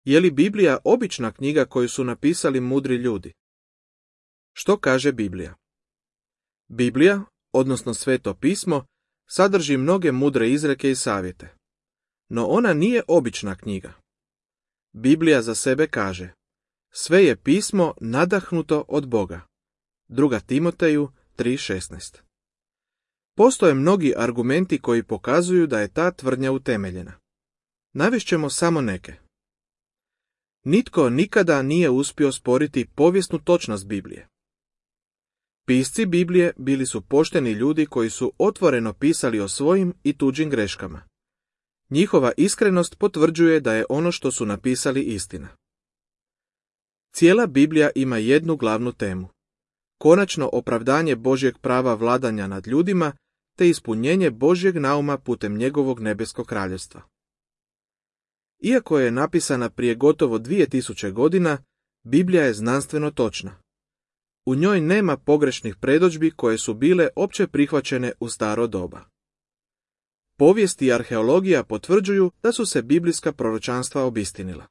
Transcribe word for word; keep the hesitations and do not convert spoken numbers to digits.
Je li Biblija obična knjiga koju su napisali mudri ljudi? Što kaže Biblija? Biblija, odnosno Sveto pismo, sadrži mnoge mudre izreke i savjete. No ona nije obična knjiga. Biblija za sebe kaže: sve je pismo nadahnuto od Boga. Druga Timoteju tri šesnaest. Postoje mnogi argumenti koji pokazuju da je ta tvrdnja utemeljena. Navešćemo samo neke. Nitko nikada nije uspio sporiti povijesnu točnost Biblije. Pisci Biblije bili su pošteni ljudi koji su otvoreno pisali o svojim i tuđim greškama. Njihova iskrenost potvrđuje da je ono što su napisali istina. Cijela Biblija ima jednu glavnu temu: konačno opravdanje Božjeg prava vladanja nad ljudima te ispunjenje Božjeg nauma putem njegovog nebeskog kraljevstva. Iako je napisana prije gotovo dvije tisuće godina, Biblija je znanstveno točna. U njoj nema pogrešnih predodžbi koje su bile opće prihvaćene u staro doba. Povijest i arheologija potvrđuju da su se biblijska proročanstva obistinila.